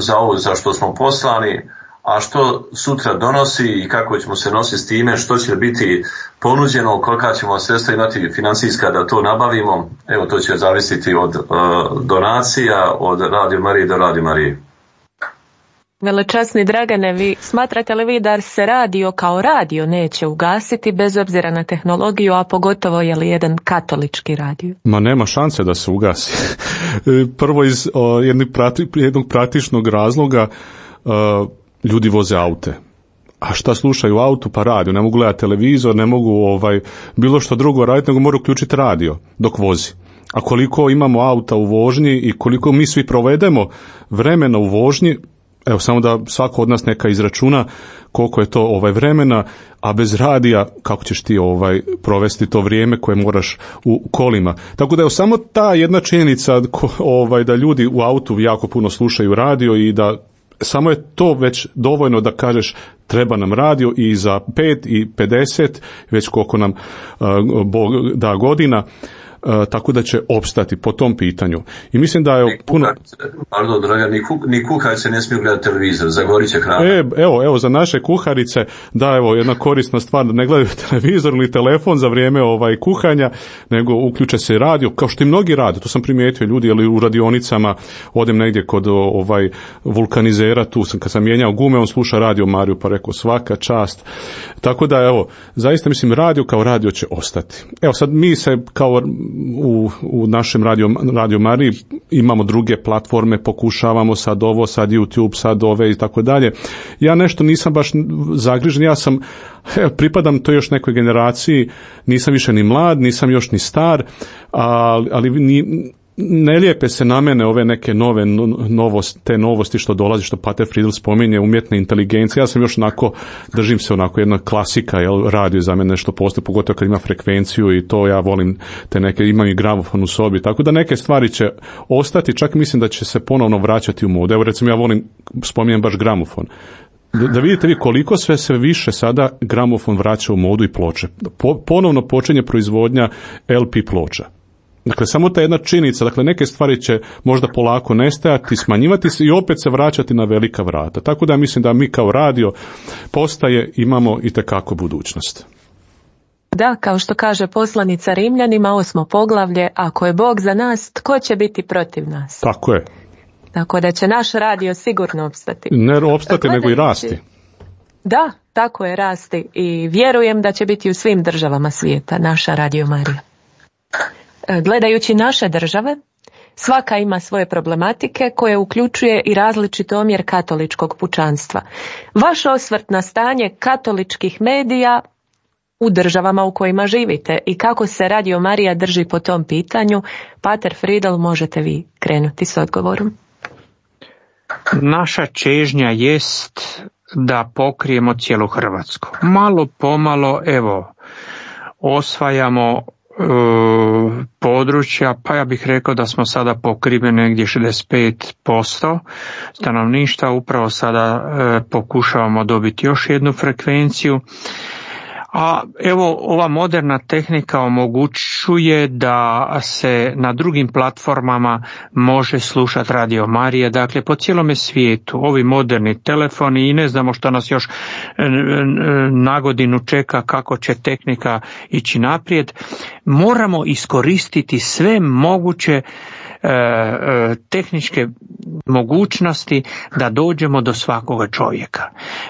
za ovo za što smo poslani, a što sutra donosi i kako ćemo se nositi s time, što će biti ponuđeno, kolika ćemo sredstva imati financijska da to nabavimo, evo to će zavisiti od donacija, od Radio Marije do Radio Marije. Velečasni Dragane, vi smatrate li vi da se radio kao radio neće ugasiti bez obzira na tehnologiju, a pogotovo je li jedan katolički radio? Ma nema šanse da se ugasi. Prvo iz jednog praktičnog razloga, ljudi voze aute. A šta slušaju u autu? Pa radio. Ne mogu gledati televizor, ne mogu bilo što drugo raditi, nego moraju uključiti radio dok vozi. A koliko imamo auta u vožnji i koliko mi svi provedemo vremena u vožnji, evo samo da svako od nas neka izračuna koliko je to vremena, a bez radija kako ćeš ti provesti to vrijeme koje moraš u kolima. Tako da je samo ta jedna činjenica da ljudi u autu jako puno slušaju radio i da samo je to već dovoljno da kažeš treba nam radio i za 5 i 50, već koliko nam Bog da godina. tako da će opstati po tom pitanju. I mislim da je puno... Pardon, draga, ni kuharice ne smiju gledati televizor, zagorit će hrana. Evo, za naše kuharice, da, evo, jedna korisna stvar, da ne gledaju televizor ili telefon za vrijeme kuhanja, nego uključe se radio, kao što i mnogi rade, to sam primijetio ljudi, ali u radionicama, odem negdje kod vulkanizera, tu sam, kad sam mijenjao gume, on sluša Radio Mariju, pa rekao svaka čast. Tako da, evo, zaista mislim, radio kao radio će ostati. Evo, sad mi se kao u našem Radio Mariji imamo druge platforme, pokušavamo sad ovo, sad YouTube, sad ove i tako dalje. Ja nešto nisam baš zagrižen, ja sam, pripadam toj još nekoj generaciji, nisam više ni mlad, nisam još ni star, ali ne lijepe se na mene ove neke te novosti što dolazi, što Pater Friedl spominje, umjetna inteligencija. Ja sam još držim se jedna klasika, radio za mene nešto postoji, pogotovo kad ima frekvenciju i to ja volim te neke, imam i gramofon u sobi, tako da neke stvari će ostati, čak mislim da će se ponovno vraćati u modu. Evo recimo ja spominjem baš gramofon. Da vidite vi koliko sve više sada gramofon vraća u modu i ploče. Ponovno počinje proizvodnja LP ploča. Dakle, samo ta jedna činjenica, dakle, neke stvari će možda polako nestajati, smanjivati se i opet se vraćati na velika vrata. Tako da mislim da mi kao radio postaje imamo itekako budućnost. Da, kao što kaže poslanica Rimljanima, 8. poglavlje, ako je Bog za nas, tko će biti protiv nas? Tako je. Tako da će naš radio sigurno opstati. Ne opstati, nego i rasti. Da, tako je, rasti. I vjerujem da će biti u svim državama svijeta naša Radio Marija. Gledajući naše države, svaka ima svoje problematike koje uključuje i različit omjer katoličkog pučanstva. Vaš osvrt na stanje katoličkih medija u državama u kojima živite i kako se Radio Marija drži po tom pitanju, Pater Friedl, možete vi krenuti s odgovorom. Naša čežnja jest da pokrijemo cijelu Hrvatsku. Malo pomalo, osvajamo područja, pa ja bih rekao da smo sada pokriveni negdje 65% stanovništva, upravo sada pokušavamo dobiti još jednu frekvenciju. A evo, ova moderna tehnika omogućuje da se na drugim platformama može slušati Radio Marija, dakle po cijelome svijetu. Ovi moderni telefoni i ne znamo što nas još na godinu čeka, kako će tehnika ići naprijed. Moramo iskoristiti sve moguće tehničke mogućnosti da dođemo do svakoga čovjeka.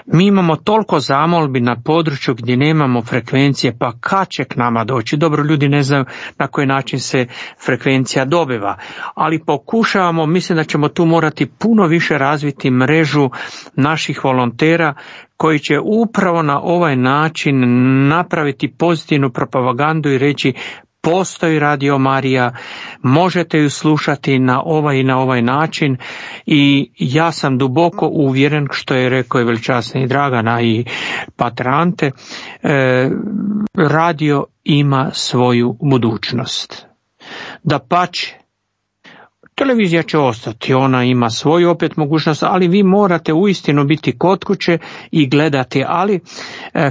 Mi imamo toliko zamolbi na području gdje nemamo frekvencije, pa kad će k nama doći? Dobro, ljudi ne znaju na koji način se frekvencija dobiva, ali pokušavamo, mislim da ćemo tu morati puno više razviti mrežu naših volontera koji će upravo na ovaj način napraviti pozitivnu propagandu i reći postoji Radio Marija, možete ju slušati na ovaj i na ovaj način i ja sam duboko uvjeren, što je rekao i veličasni Dragana i Pater Ante, radio ima svoju budućnost. Dapače, televizija će ostati, ona ima svoju opet mogućnost, ali vi morate uistinu biti kod kuće i gledati, ali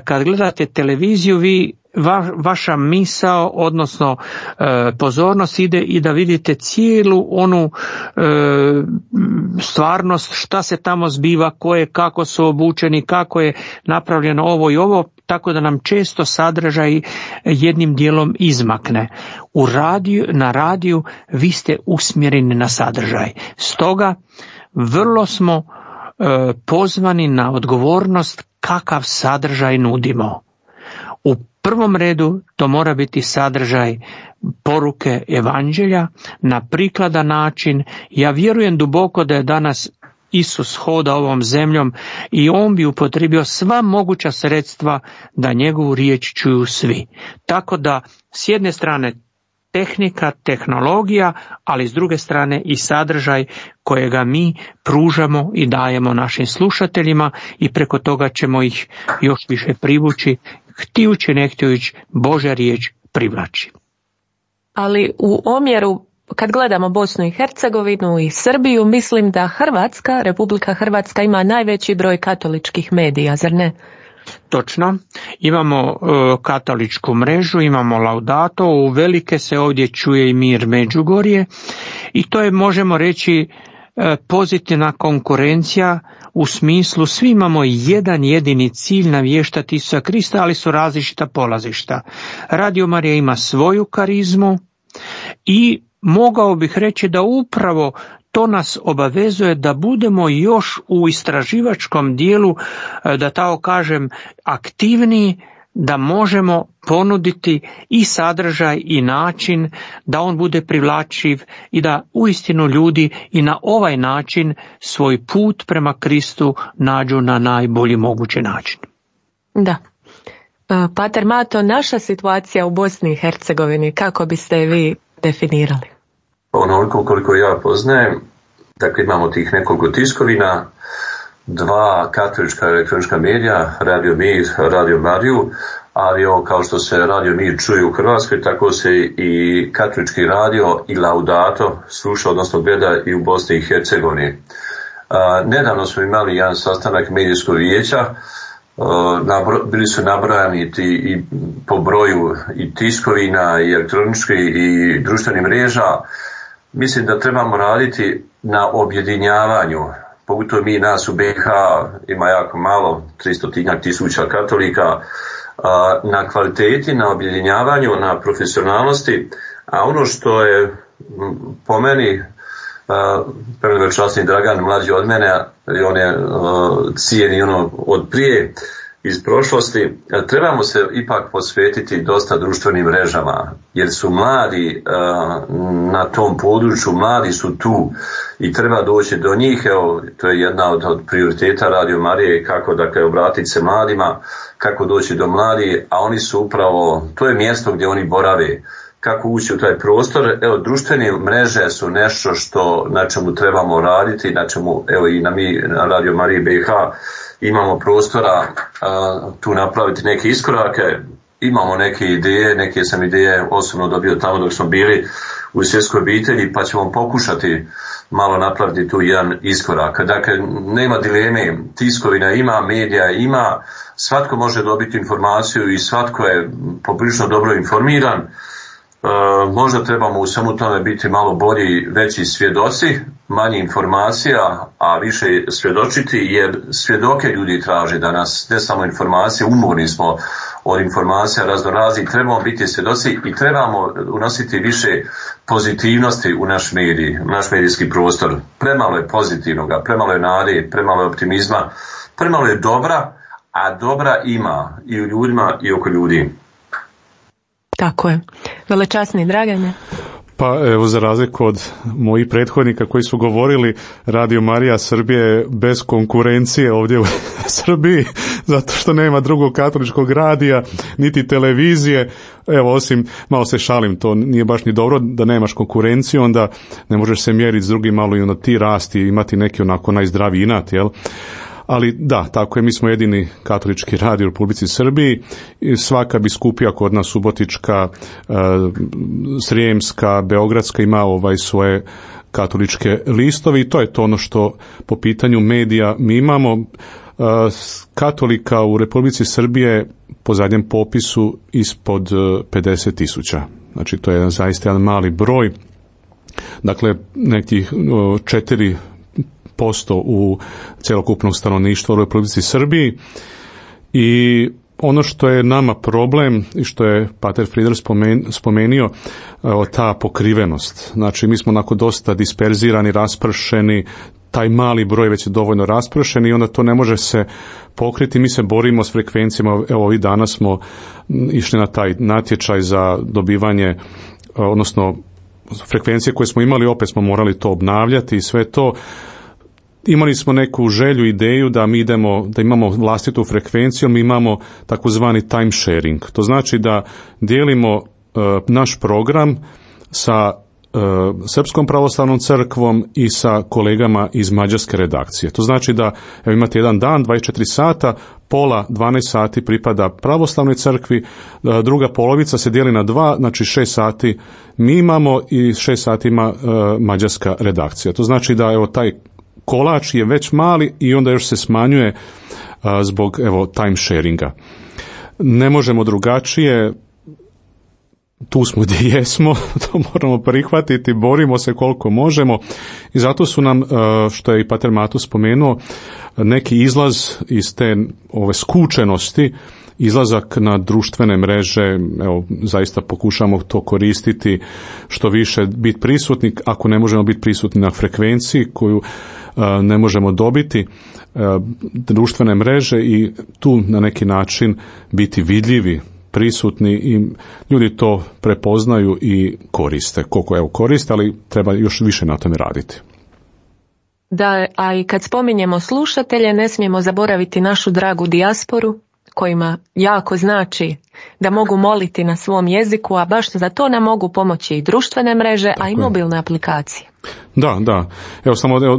kad gledate televiziju vi vaša misao, odnosno pozornost ide i da vidite cijelu onu stvarnost, šta se tamo zbiva, kako su obučeni, kako je napravljeno ovo i ovo, tako da nam često sadržaj jednim dijelom izmakne. Na radiju vi ste usmjereni na sadržaj. Stoga vrlo smo pozvani na odgovornost kakav sadržaj nudimo. U prvom redu to mora biti sadržaj poruke evanđelja na prikladan način. Ja vjerujem duboko da je danas Isus hoda ovom zemljom i on bi upotrijebio sva moguća sredstva da njegovu riječ čuju svi. Tako da s jedne strane tehnika, tehnologija, ali s druge strane i sadržaj kojega mi pružamo i dajemo našim slušateljima i preko toga ćemo ih još više privući, htijući ne htijući, Božja riječ privlači. Ali u omjeru, kad gledamo Bosnu i Hercegovinu i Srbiju, mislim da Republika Hrvatska ima najveći broj katoličkih medija, zar ne? Točno, imamo katoličku mrežu, imamo Laudato, u velike se ovdje čuje i Mir Međugorje i to je, možemo reći, pozitivna konkurencija u smislu svi imamo jedan jedini cilj navještati Isusa Krista, ali su različita polazišta. Radio Marija ima svoju karizmu i mogao bih reći da upravo to nas obavezuje da budemo još u istraživačkom dijelu, da tako kažem, aktivniji, da možemo ponuditi i sadržaj i način da on bude privlačiv i da uistinu ljudi i na ovaj način svoj put prema Kristu nađu na najbolji mogući način. Da. Pater Mato, naša situacija u Bosni i Hercegovini, kako biste je vi definirali? Onoliko koliko ja poznajem, dakle imamo tih nekoliko tiskovina, 2 katolička elektronička medija, Radio Mir, Radio Mariju, ali kao što se Radio Mir čuje u Hrvatskoj, tako se i katolički radio i Laudato sluša, odnosno gleda i u Bosni i Hercegovini. Nedavno smo imali jedan sastanak medijskog vijeća, bili su nabrojani i po broju i tiskovina i elektroničkih i društvenih mreža. Mislim da trebamo raditi na objedinjavanju, pogotovo mi nas u BiH ima jako malo, 300.000 katolika, na kvaliteti, na objedinjavanju, na profesionalnosti, a ono što je po meni prevečasni Dragan, mlađi od mene, on je cijeni od prije, iz prošlosti, trebamo se ipak posvetiti dosta društvenim mrežama, jer su mladi na tom području, mladi su tu i treba doći do njih. Evo, to je jedna od prioriteta Radio Marije, kako dakle obratiti se mladima, kako doći do mladih, a oni su upravo, to je mjesto gdje oni borave. Kako ući u taj prostor. Evo, društvene mreže su nešto na čemu trebamo raditi, na čemu, evo i na Radio Mariji BiH imamo prostora tu napraviti neke iskorake, imamo neke ideje, neke sam ideje osobno dobio tamo dok smo bili u svjetskoj obitelji, pa ćemo pokušati malo napraviti tu jedan iskorak. Dakle, nema dileme, tiskovina ima, medija ima, svatko može dobiti informaciju i svatko je poprilično dobro informiran. Možda trebamo u svemu tome biti malo bolji, veći svjedoci, manje informacija, a više svjedočiti, jer svjedoke ljudi traže danas, ne samo informacije, umorni smo od informacija raznoraznih, trebamo biti svjedoci i trebamo unositi više pozitivnosti u naš medij, u naš medijski prostor. Premalo je pozitivnoga, premalo je nade, premalo je optimizma, premalo je dobra, a dobra ima i u ljudima i oko ljudi. Tako je. Velečasni Dragane. Pa evo, za razliku od mojih prethodnika koji su govorili, Radio Marija Srbije bez konkurencije ovdje u Srbiji, zato što nema drugog katoličkog radija, niti televizije. Evo, osim, malo se šalim, to nije baš ni dobro da nemaš konkurenciju, onda ne možeš se mjeriti s drugim, malo i onda ti rasti i imati neki onako najzdraviji inat, jel? Ali da, tako je, mi smo jedini katolički radio u Republici Srbiji. Svaka biskupija kod nas, Subotička, Srijemska, Beogradska ima svoje katoličke listovi i to je to ono što po pitanju medija mi imamo. Katolika u Republici Srbije po zadnjem popisu ispod 50.000. Znači to je zaista jedan mali broj. Dakle, nekih 4% u cjelokupnog stanovništva u Republici Srbiji. I ono što je nama problem i što je Pater Frieder spomenio, ta pokrivenost. Znači mi smo onako dosta disperzirani, raspršeni, taj mali broj već je dovoljno raspršen i onda to ne može se pokriti. Mi se borimo s frekvencijama, evo ovih dana smo išli na taj natječaj za dobivanje, odnosno frekvencije koje smo imali, opet smo morali to obnavljati i sve to. Imali smo neku želju, ideju da mi da imamo vlastitu frekvenciju, mi imamo takozvani time sharing. To znači da dijelimo naš program sa Srpskom pravoslavnom crkvom i sa kolegama iz mađarske redakcije. To znači da imate jedan dan, 24 sata, pola 12 sati pripada pravoslavnoj crkvi, druga polovica se dijeli na 2, znači 6 sati mi imamo i 6 sati ima mađarska redakcija. To znači da taj kolač je već mali i onda još se smanjuje zbog time sharinga. Ne možemo drugačije, tu smo gdje jesmo, to moramo prihvatiti, borimo se koliko možemo i zato su nam, što je i pater Mato spomenuo, neki izlaz iz te skučenosti, izlazak na društvene mreže, zaista pokušamo to koristiti što više, biti prisutni, ako ne možemo biti prisutni na frekvenciji koju ne možemo dobiti, društvene mreže i tu na neki način biti vidljivi, prisutni i ljudi to prepoznaju i koriste. Koliko koriste, ali treba još više na tome raditi. Da, a i kad spominjemo slušatelje, ne smijemo zaboraviti našu dragu dijasporu, kojima jako znači da mogu moliti na svom jeziku, a baš za to nam mogu pomoći i društvene mreže, a i mobilne aplikacije. Da.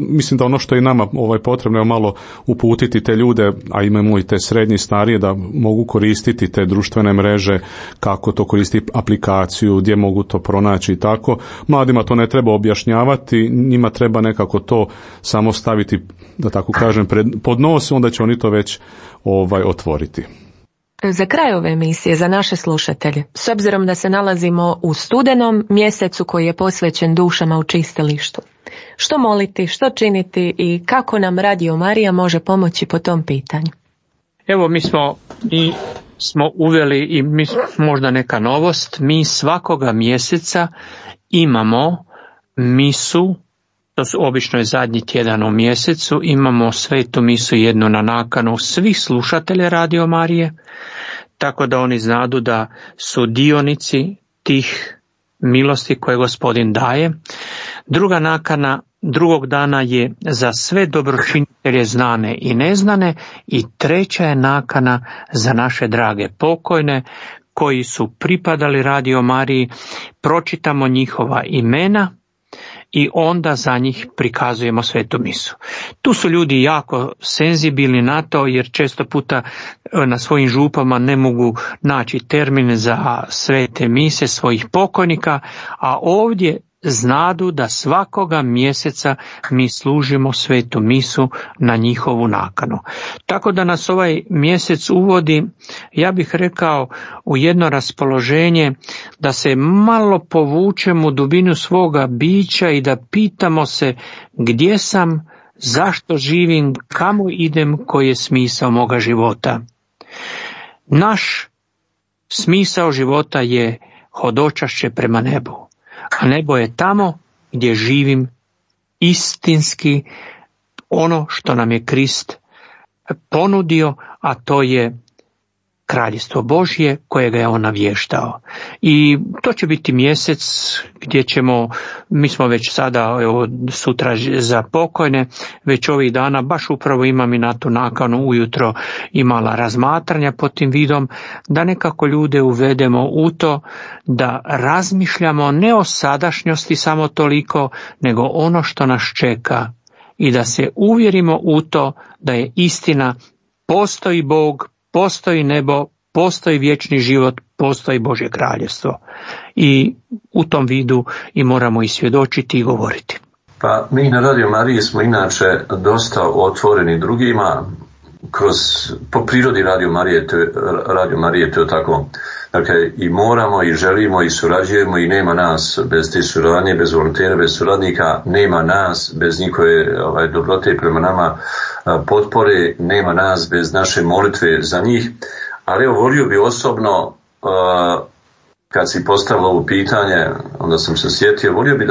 Mislim da ono što je nama potrebno je malo uputiti te ljude, a imamo i te srednji starije, da mogu koristiti te društvene mreže, kako to koristiti aplikaciju, gdje mogu to pronaći i tako. Mladima to ne treba objašnjavati, njima treba nekako to samo staviti, da tako kažem, pod nos, onda će oni to već otvoriti. Za kraj ove emisije, za naše slušatelje, s obzirom da se nalazimo u studenom mjesecu koji je posvećen dušama u čistilištu, što moliti, što činiti i kako nam Radio Marija može pomoći po tom pitanju? Evo, mi smo uveli i možda neka novost, mi svakoga mjeseca imamo misu, to su obično je zadnji tjedan u mjesecu, imamo svetu misu jednu na nakanu svih slušatelja Radio Marije, tako da oni znadu da su dionici tih milosti koje Gospodin daje. Druga nakana drugog dana je za sve dobročinitelje znane i neznane i treća je nakana za naše drage pokojne koji su pripadali Radio Mariji, pročitamo njihova imena i onda za njih prikazujemo svetu misu. Tu su ljudi jako senzibilni na to, jer često puta na svojim župama ne mogu naći termin za svete mise svojih pokojnika, a ovdje znadu da svakoga mjeseca mi služimo svetu misu na njihovu nakanu. Tako da nas ovaj mjesec uvodi, ja bih rekao, u jedno raspoloženje da se malo povučemo u dubinu svoga bića i da pitamo se gdje sam, zašto živim, kamo idem, koji je smisao moga života. Naš smisao života je hodočašće prema nebu. A nebo je tamo gdje živim istinski ono što nam je Krist ponudio, a to je Kraljevstvo Božje kojega je on navještao. I to će biti mjesec gdje ćemo, mi smo već sada, evo, sutra za pokojne, već ovih dana, baš upravo imam i na tu nakanu ujutro imala razmatranja pod tim vidom, da nekako ljude uvedemo u to da razmišljamo ne o sadašnjosti samo toliko, nego ono što nas čeka i da se uvjerimo u to da je istina, postoji Bog, postoji nebo, postoji vječni život, postoji Božje kraljevstvo. I u tom vidu i moramo i svjedočiti i govoriti. Pa mi na Radio Mariji smo inače dosta otvoreni drugima, po prirodi Radio Marije to je tako. Dakle, i moramo i želimo i surađujemo i nema nas bez te suradnje, bez volontera, bez suradnika, nema nas bez njihove dobrote prema nama, potpore, nema nas bez naše molitve za njih. Ali evo, volio bi osobno, kad si postavilo ovo pitanje, onda sam se sjetio, volio bi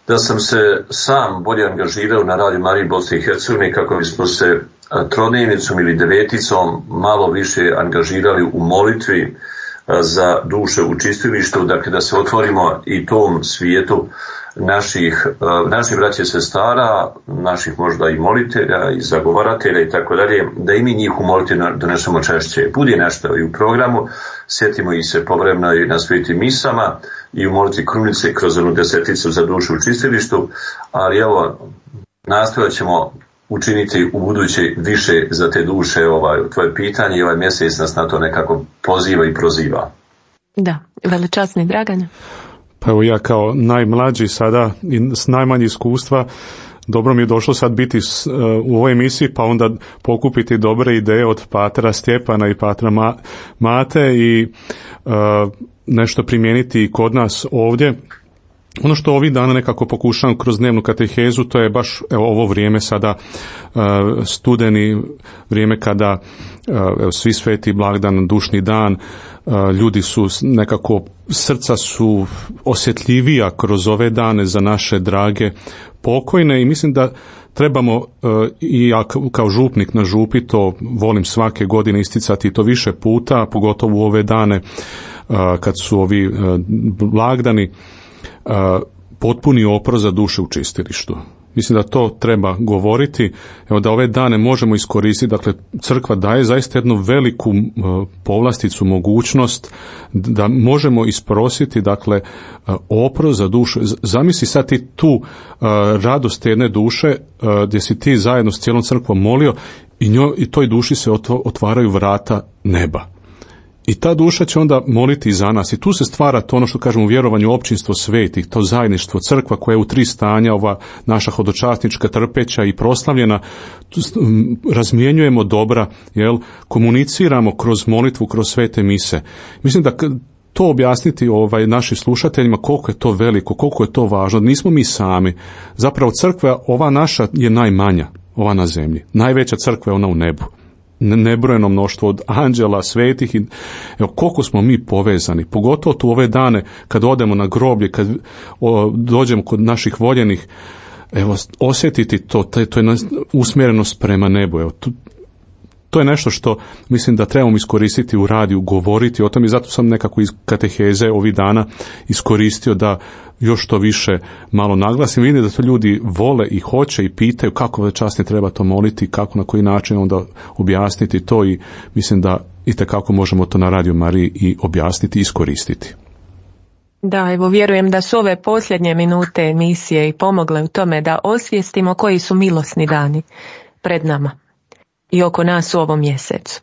da sam se sam bolje angažirao na Radio Mariji Bosne i Hercegovine kako bismo se trodnevnicom ili deveticom malo više angažirali u molitvi za duše u čistilištu, dakle da se otvorimo i tom svijetu naših braća i sestara, naših možda i molitelja i zagovaratelja i tako dalje, da i mi njih u molitvi donesemo češće. Budi nešto i u programu, sjetimo ih se povremeno i na svetim misama i u molitvi krunice kroz onu deseticu za dušu u čistilištu, ali evo, nastojat ćemo učiniti u buduće više za te duše. Tvoje pitanje i ovaj mjesec nas na to nekako poziva i proziva. Da, veličasni Dragane. Pa evo, ja kao najmlađi sada i s najmanje iskustva dobro mi je došlo sad biti u ovoj emisiji, pa onda pokupiti dobre ideje od Patra Stjepana i Patra Mate i nešto primijeniti i kod nas ovdje. Ono što ovih dana nekako pokušavam kroz dnevnu katehezu, to je baš ovo vrijeme sada, studeni, vrijeme kada svi sveti blagdan, dušni dan, ljudi su nekako, srca su osjetljivija kroz ove dane za naše drage pokojne i mislim da trebamo, i ja kao župnik na župi to volim svake godine isticati to više puta, pogotovo u ove dane kad su ovi blagdani, potpuni oprost za duše u čistilištu. Mislim da to treba govoriti, evo da ove dane možemo iskoristiti, dakle crkva daje zaista jednu veliku povlasticu, mogućnost da možemo isprositi, dakle, oprost za dušu. Zamisli sad ti tu radost jedne duše gdje si ti zajedno s cijelom crkvom molio i toj duši se otvaraju vrata neba. I ta duša će onda moliti za nas. I tu se stvara to ono što kažemo u vjerovanju općinstvo svetih, to zajedništvo, crkva koja je u 3 stanja, ova naša hodočasnička, trpeća i proslavljena. Razmjenjujemo dobra, komuniciramo kroz molitvu, kroz svete mise. Mislim da to objasniti našim slušateljima koliko je to veliko, koliko je to važno. Nismo mi sami. Zapravo crkva ova naša je najmanja, ova na zemlji. Najveća crkva je ona u nebu. Nebrojeno mnoštvo od anđela, svetih i koliko smo mi povezani, pogotovo tu ove dane kad odemo na groblje, kad dođemo kod naših voljenih, osjetiti to je usmjerenost prema nebu. To je nešto što mislim da trebamo iskoristiti u radiju, govoriti o tom i zato sam nekako iz kateheze ovih dana iskoristio da još to više malo naglasim. Vidim da to ljudi vole i hoće i pitaju kako časnije treba to moliti, kako, na koji način onda objasniti to i mislim da itekako možemo to na Radio Mariji i objasniti i iskoristiti. Da, evo vjerujem da su ove posljednje minute emisije i pomogle u tome da osvijestimo koji su milosni dani pred nama i oko nas u ovom mjesecu.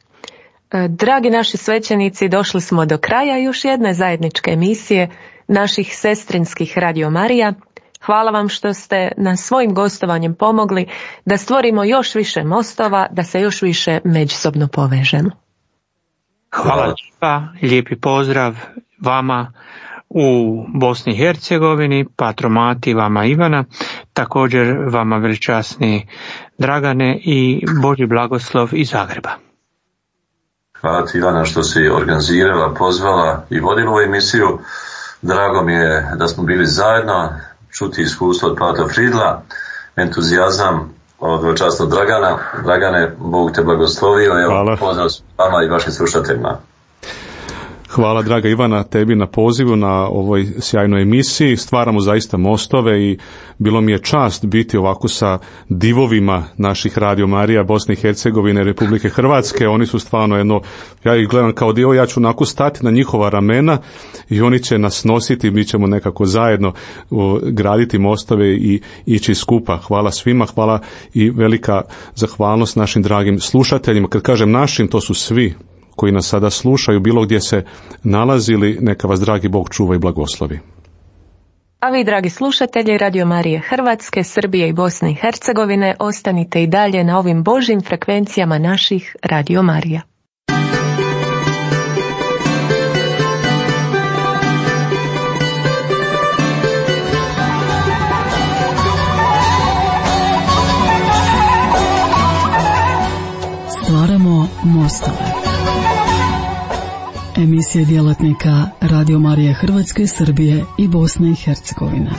Dragi naši svećenici, došli smo do kraja još jedne zajedničke emisije naših sestrinskih Radio Marija. Hvala vam što ste nas svojim gostovanjem pomogli da stvorimo još više mostova, da se još više međusobno povežemo. Hvala lijepa, lijepi pozdrav vama u Bosni i Hercegovini, Patro Mati, vama Ivana, također vama veličasni Dragane i Božji blagoslov iz Zagreba. Hvala ti Ivana što si organizirala, pozvala i vodila ovu emisiju. Drago mi je da smo bili zajedno, čuti iskustvo od Patra Fridla, entuzijazam od veličasnog Dragana. Dragane, Bog te blagoslovio, evo pozdrav vama i vašim slušateljima. Hvala draga Ivana tebi na pozivu na ovoj sjajnoj emisiji. Stvaramo zaista mostove i bilo mi je čast biti ovako sa divovima naših Radio Marija Bosne i Hercegovine, Republike Hrvatske. Oni su stvarno jedno, ja ih gledam kao dio, ja ću onako stati na njihova ramena i oni će nas nositi, mi ćemo nekako zajedno graditi mostove i ići skupa. Hvala svima, hvala i velika zahvalnost našim dragim slušateljima. Kad kažem našim, to su svi koji nas sada slušaju, bilo gdje se nalazili, neka vas dragi Bog čuva i blagoslovi. A vi, dragi slušatelji Radio Marije Hrvatske, Srbije i Bosne i Hercegovine, ostanite i dalje na ovim Božjim frekvencijama naših Radio Marija. Stvaramo mostove. Emisija djelatnika Radio Marije Hrvatske, Srbije i Bosne i Hercegovine.